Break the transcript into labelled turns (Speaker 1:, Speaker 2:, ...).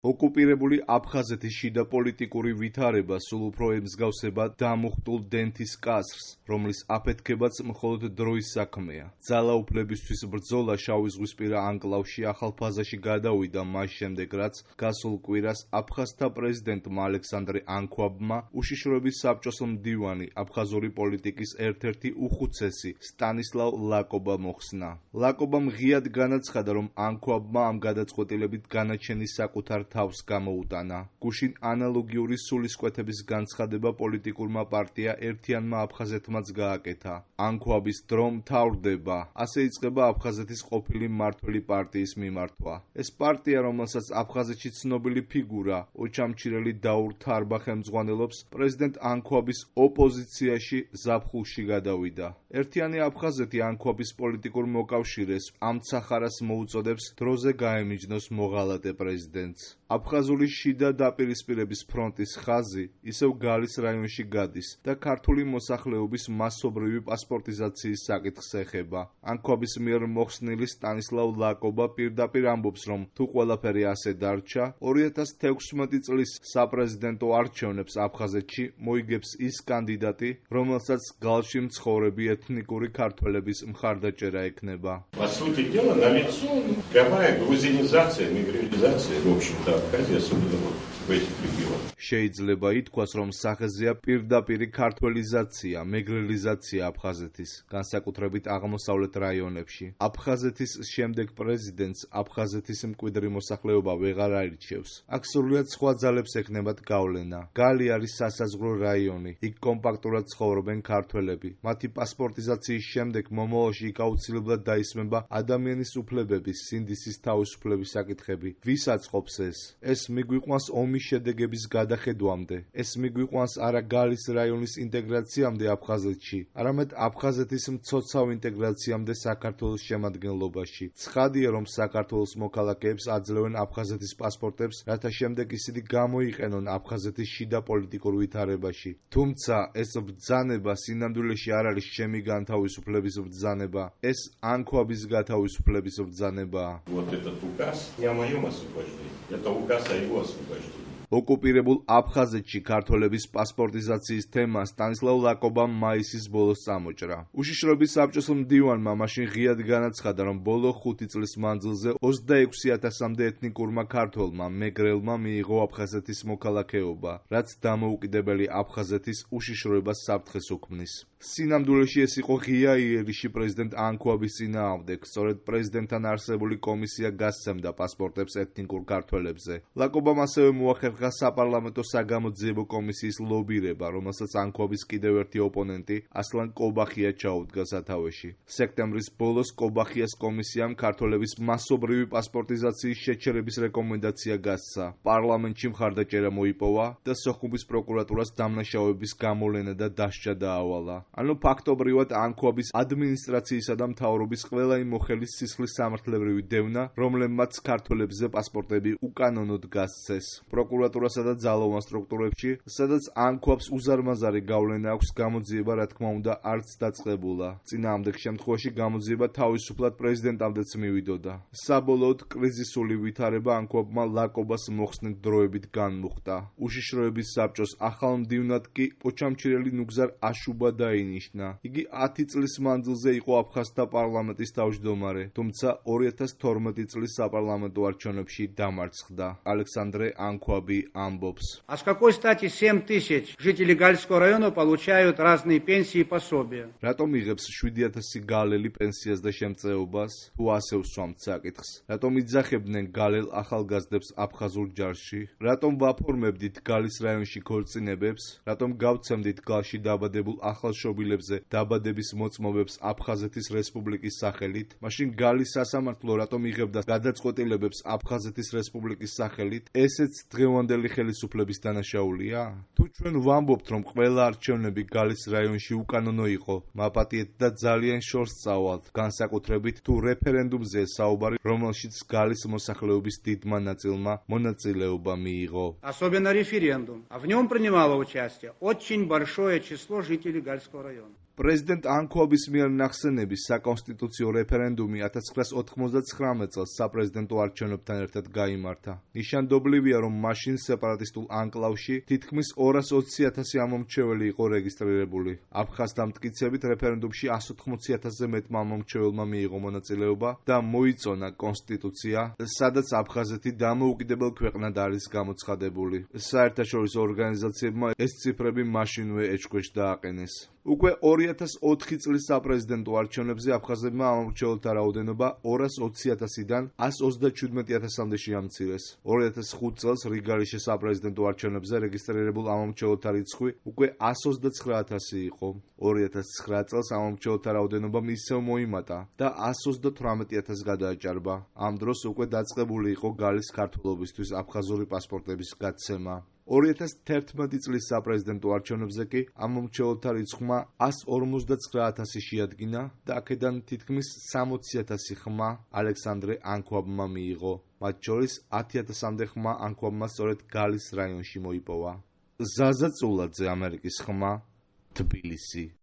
Speaker 1: ოკუპირებული აფხაზეთის შიდა პოლიტიკური ვითარება სულ უფრო ემსგავსება დამუხტულ დენთის კასრს, რომლის აფეთქებაც მხოლოდ დროის საქმეა. ძალაუფლებისთვის ბრძოლა შავიზღვისპირა ანკლავში ახალ ფაზაში გადავიდა მას შემდეგ, რაც გასულ კვირას აფხაზთა პრეზიდენტმა ალექსანდრე ანქვაბმა უშიშროების საბჭოს მდივანი აფხაზური პოლიტიკის ერთ-ერთი უხუცესი სტანისლავ ლაკობა მოხსნა. ლაკობამ ღიად განაცხადა, რომ ანქვაბმა ამ გადაწყვეტილებით განაჩენის საკუთარ თავს გამოუტანა. გუშინ ანალოგიური სულისკვეთების განცხადება პოლიტიკურმა პარტია ერთიანმა აფხაზეთმაც გააკეთა. ანქვაბის დრო მთავრდება, ასე იწყება აფხაზეთის ყოფილი მმართველი პარტიის მიმართვა. ეს პარტია, რომელსაც აფხაზეთში ცნობილი ფიგურა, ოჩამჩირელი დაურ თარბა ხელმძღვანელობს, პრეზიდენტ ანქვაბის ოპოზიციაში ზაფხულში გადავიდა. ერთიანი აფხაზეთი ანქვაბის პოლიტიკურ მოკავშირეს ამცახარას მოუწოდებს დროზე გაემიჯნოს მოღალატე პრეზიდენტს. აფხაზური შიდა დაპირისპირების ფრონტის ხაზი ისევ გალის რაიონში გადის და ქართული მოსახლეობის მასობრივი პასპორტიზაციის საკითხს ეხება. ანქვაბის მიერ მოხსნილი სტანისლავ ლაკობა პირდაპირ ამბობს, რომ თუ ყველაფერი ასე დარჩა, 2016 წლის საპრეზიდენტო არჩევნებს აფხაზეთში მოიგებს ის კანდიდატი, რომელსაც გალში მცხოვრები ეთნიკური ქართველების მხარდაჭერა ექნება.
Speaker 2: По сути дела, налицо прямая грузинизация, мигрализация, в общем-то, Абхазии, особенно в этих регионах.
Speaker 1: შეიძლება ითქვას, რომ სახეზეა პირდაპირი ქართველიზაცია, მეგრელიზაცია აფხაზეთის, განსაკუთრებით აღმოსავლეთ რაიონებში. აფხაზეთის შემდეგ პრეზიდენტს აფხაზეთის მკვიდრი მოსახლეობა ვეღარ აირჩევს. აქ სრულიად სხვა ძალებს ექნებათ გავლენა. გალი არის სასაზღვრო რაიონი, იქ კომპაქტურად ცხოვრობენ ქართველები. მათი პასპორტიზაციის შემდეგ მომავალში იქ აუცილებლად დაისმება ადამიანის უფლებების, სინდისის თავისუფლების საკითხები. ვის აწყობს ეს? ეს მიგვიყვანს ომის შედეგების გადახედვამდე. ეს მიგვიყვანს არა გალის რაიონის ინტეგრაციამდე აფხაზეთში, არამედ აფხაზეთის მცოცავ ინტეგრაციამდე საქართველოს შემადგენლობაში. ცხადია, რომ საქართველოს მოქალაქეებს აძლევენ აფხაზეთის პასპორტებს, რათა შემდეგ ისინი გამოიყენონ აფხაზეთის შიდა პოლიტიკურ ვითარებაში. თუმცა ეს ბრძანება სინამდვილეში არ არის ჩემი განთავისუფლების ბრძანება, ეს ანქვაბის გათავისუფლების ბრძანებაა.
Speaker 2: Вот этот указ не о моем освобождении, это указ о его освобождении.
Speaker 1: ოკუპირებულ აფხაზეთში ქართველების პასპორტიზაციის თემა სტანისლავ ლაკობამ მაისის ბოლოს წამოჭრა. უშიშროების საბჭოს მდივანმა მაშინ ღიად განაცხადა, რომ ბოლო 5 წლის მანძილზე 26,000-მდე ეთნიკურმა ქართველმა მეგრელმა მიიღო აფხაზეთის მოქალაქეობა, რაც დამოუკიდებელი აფხაზეთის უშიშროებას საფრთხეს უქმნის. სინამდვილეში ეს იყო ღია იერიში პრეზიდენტ ანქვაბის წინააღმდეგ, სწორედ პრეზიდენტთან არსებული კომისია გასცემდა პასპორტებს ეთნიკურ ქართველებზე. ლაკობამ ასევე მოახერხა საპარლამენტო საგამოძიებო კომისიის ლობირება, რომელსაც ანქვაბის კიდევ ერთი ოპონენტი ასლან კობახია ჩაუდგა სათავეში. სექტემბრის ბოლოს კობახიას კომისიამ ქართველების მასობრივი პასპორტიზაციის შეჩერების რეკომენდაცია გასცა. პარლამენტში მხარდაჭერა მოიპოვა და სოხუმის პროკურატურას დამნაშავეების გამოვლენა და დასჯა დაავალა. ანუ ფაქტობრივად ანქვაბის ადმინისტრაციისა და მთავრობის ყველა იმ მოხელის სისხლის სამართლებრივი დევნა, რომლებმაც ქართველებზე პასპორტები უკანონოდ გასცეს. პროკურატურასა და ძალოვან სტრუქტურებში, სადაც ანქვაბს უზარმაზარი გავლენა აქვს, გამოძიება რა თქმა უნდა არც დაწყებულა. წინააღმდეგ შემთხვევაში გამოძიება თავისუფლად პრეზიდენტამდეც მივიდოდა. საბოლოოდ კრიზისული ვითარება ანქვაბმა ლაკობას მოხსნით დროებით განმუხტა. უშიშროების საბჭოს ახალ მდივნად კი ოჩამჩირელი ნუგზარ აშუბა დაინიშნა. იგი 10 წლის მანძილზე იყო აფხაზთა პარლამენტის თავმჯდომარე, თუმცა 2012 წლის საპარლამენტო არჩევნებში დამარცხდა. ალექსანდრე ანქვაბი ამბობს.
Speaker 3: А с какой стати 7 тысяч жителей Гальского района получают разные пенсии и пособия?
Speaker 1: Რატომ იღებს 7,000 გალელი პენსიას და შემწეობას? თუ ასე უსვამთ საკითხს. რატომ იძახებდნენ გალელ ახალგაზრდებს აფხაზურ ჯარში? რატომ ვაფორმებდით გალის რაიონში ქორწინებებს? რატომ გავცემდით გალში დაბადებულ ახალშობილებზე დაბადების მოწმობებს აფხაზეთის რესპუბლიკის სახელით? მაშინ გალის სასამართლო რატომ იღებდა გადაწყვეტილებებს აფხაზეთის რესპუბლიკის სახელით? ესეც დღევანდელი ხელისუფლების დანაშაულია? თუ ჩვენ ვამბობთ, რომ ყველა არჩევნები გალის რაიონში უკანონო იყო, მაპატიეთ და ძალიან შორს წავალთ, განსაკუთრებით თუ რეფერენდუმზე საუბარი, რომელშიც გალის მოსახლეობის დიდმა ნაწილმა მონაწილეობა მიიღო.
Speaker 3: Особенно референдум. А в нем принимало участие очень большое число жителей Гальского района.
Speaker 1: პრეზიდენტ ანქვაბის მიერ ნახსენების საკონსტიტუციო რეფერენდუმი 1999 წელს საპრეზიდენტო არჩევნებთან ერთად გაიმართა. ნიშანდობლივია, რომ მაშინ სეპარატისტულ ანკლავში თითქმის 220,000 ამომრჩეველი იყო რეგისტრირებული. აფხაზთა მტკიცებით რეფერენდუმში 180,000-ზე მეტმა ამომრჩეველმა მიიღო მონაწილეობა და მოიწონა კონსტიტუცია, სადაც აფხაზეთი დამოუკიდებელ ქვეყნად არის გამოცხადებული. საერთაშორისო ორგანიზაციებმა ეს ციფრები მაშინვე ეჭქვეშ დააყენეს. უკვე 2004 წლის საპრეზიდენტო არჩევნებზე აფხაზებმა ამომრჩეველთა რაოდენობა 220,000-დან 137,000-მდე შეამცირეს. 2005 წელს რიგალის საპრეზიდენტო არჩევნებზე რეგისტრირებულ ამომრჩეველთა რიცხვი უკვე 129,000 იყო. 2009 წელს ამომრჩეველთა რაოდენობამ ისევ მოიმატა და 138,000 გადააჭარბა. ამ დროს უკვე დაწყებული იყო გალის ქართველობისთვის აფხაზური პასპორტების გაცემა. 2011 წლის საპრეზიდენტო არჩევნებზე კი ამომრჩეველთა რიცხვმა 159,000 შეადგინა და აქედან თითქმის 60,000 ხმა ალექსანდრე ანქვაბმა მიიღო. მათ შორის 10,000-მდე ხმა ანქვაბმა სწორედ გალის რაიონში მოიპოვა. ზაზა წულაძე, ამერიკის ხმა, თბილისი.